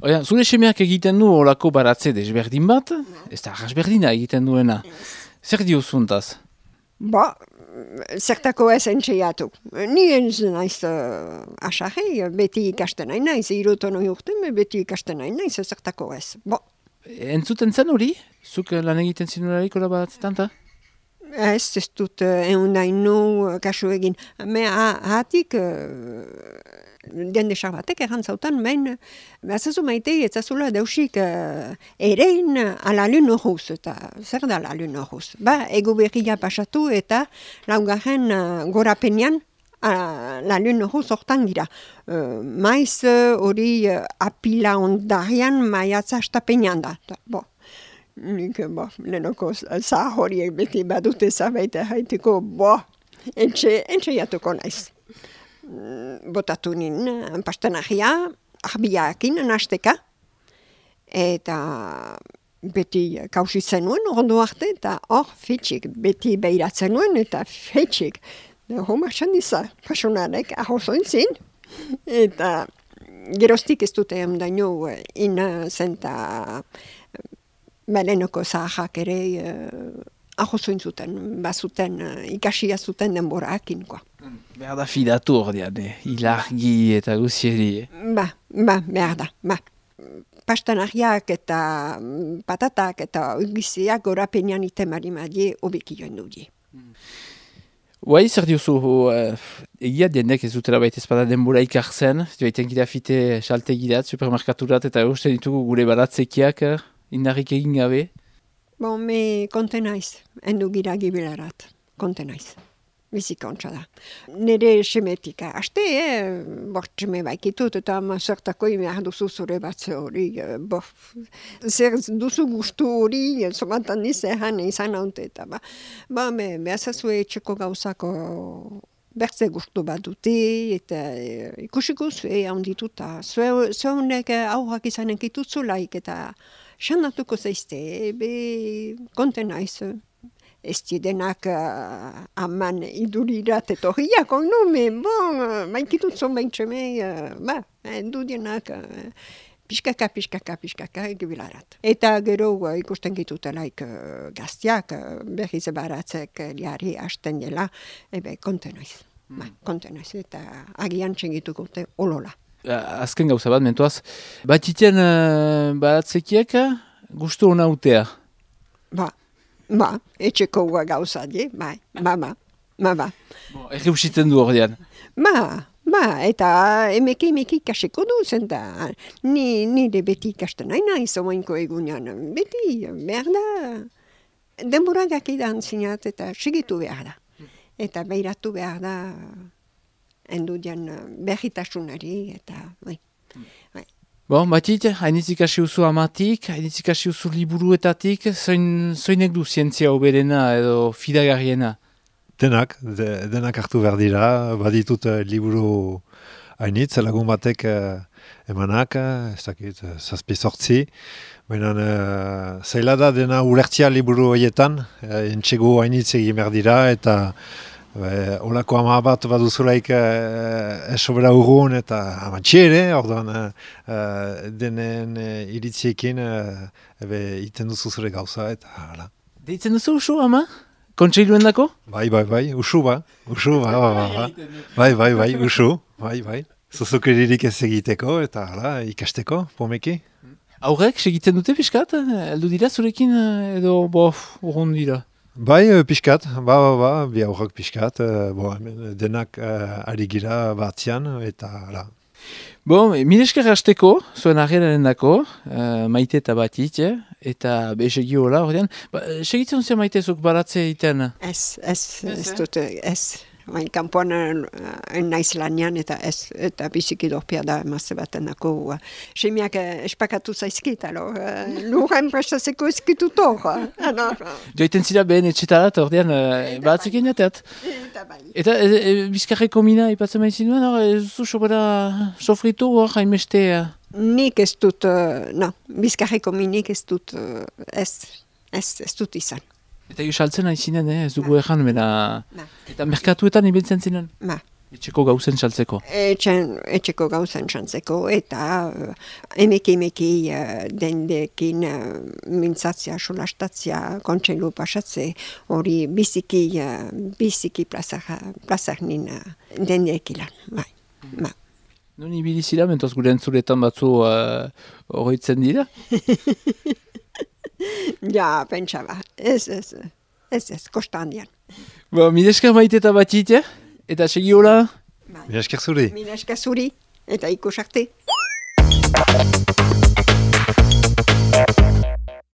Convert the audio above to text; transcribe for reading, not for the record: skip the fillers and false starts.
Oia, zure semeak egiten du olako baratze desberdin bat, ez da arrasberdina egiten duena. Zer diozuntaz? Ba, zertako ez entxeiatu. Ni ez naiz asarri, beti ikasten nahi naiz, irutonoi urten, beti ikasten nahi naiz, zertako ez. Bo. Entzuten zen hori? Zuk lan egiten zinularik hola baratzetan, ta? Ez dut eundainu kasu egin. Hatik, dende batek errantzautan, behazazu maite etzazula dausik erein ala lun horruz, eta zer da la lun horruz? Ba, ego berria pasatu eta laugarren gorapenean la lun horruz hortan gira. Maiz hori apila ondarian maiatza astapenean da. Bo. Nik, lehenoko zah horiek beti badute zabaita haiteko, entxeiatuko naiz. Botatu nien pastenagia, arbiakin nasteka, eta beti kausitzen nuen, ondo arte, eta hor fitxik, beti behiratzen nuen, eta fitxik. Homa txandiza, pasionarek ahozoin zin, eta gerostik ez dute daino zenta Belenoko zahak ere ahozoin zuten, bazuten, ikasia zuten denborakin, Behar da fidatu ordean, ilargi eta guzieri. Behar da, Pastanariak eta patatak eta giziak gorapenean itemari madie obeki joan dudi. Guai, zer diozu, egia dienek ez dutela baita ezpada denbora ikartzen, joaiten gira fite saltegirat, supermerkaturat, eta uste ditugu gure baratzekiak, indarrik egin gabe? Me konten naiz, endu gira gibilarat, konten naiz. Bizika ontsa da. Nire semetika, haste, bortzeme baikitut, eta zertako imehar duzu zure batze hori, zer duzu gustu hori, zomantan nizehan izan haunte, eta behazazue etxeko gauzako bertze gustu bat dute, eta ikusiko zue handituta. Zuenek aurrak izanen kitutzulaik, eta xandatuko zaizte, konten naiz. Ez denak aman idurirat etorriak, maikitutzon baintxeme, dudienak pixkaka egibilarat. Eta gero ikusten gitutelaik gaztiak, berriz baratzek liari hasten dela, konten naiz, eta agian txengituko olola. Azken gauza bat, mentuaz, bat iten baratzekiek gustu hona utea? Etxeko gauza die, ba. Egi usitzen du ordean? Eta emeki kaseko du, zenta nire beti ikasten nahi nahi zomainko egunean. Beti, behar da, denboragak idan zinat eta segitu behar da. Eta behiratu behar da, endudian berritasunari, eta Batit, hainitzik hasi uzu amatik, hainitzik hasi uzu liburuetatik, zoinek du zientzia oberena edo fidagarriena? Denak hartu behar dira, baditut liburu hainitz, lagun batek emanak, ez dakit, 7-8, baina zaila da dena ulertzia liburu horietan, entxego hainitz egin behar dira, eta olako ama bat baduzulaik esobera urgun eta amantxere, orduan denen iritziekin iten duzu zure gauza eta hala. Deitzen duzu usu, ama? Kontseiluen dako? Bai, usu ba. Bai, usu, bai. Zuzukeririk ez egiteko eta hala, ikasteko, pomeki. Aurrek, segitzen dute pixkat? Eldu dira zurekin edo urgun dira? Bai, pixkat, bi aurrak pixkat, denak ari gira batzian, eta hala. Milesker hasteko, zuen argeraren dako, maite eta batit, eta segi hola, ordean. Segitzen zuen maite zuk baratze egiten? Ez dut, ez. Kanpoan naiz lanian eta biziki dorpia da emazte baten dako. Semiak espakatu zaizkit, lurren prestatzeko ezkitut hor. Joiten zira behen etxetarat, ordean, baratzekin jateat. Eta bizkarreko mina ipatzen maizin duen, zu sobera sofritu hor hainbeste? Nik ez dut, bizkarreko minik ez dut, ez dut izan. Eta saltzen hain zinen, ez dugu ezan, eta merkatuetan ibiltzen zinen? Etxeko gauzen saltzeko. Etxeko gauzan txantzeko eta emeki dendekin mintzatzea, solastatzea, kontseilu pasatze, hori biziki plazak nin dendekilan, bai. Nun ibili zira, mentoz gure entzuretan batzu horretzen dira? Ja, pentsa ba, ez, kostandian. Mire esker maite eta batit, eta segi hola? Mila esker zuri. Mila esker zuri, eta ikus arte.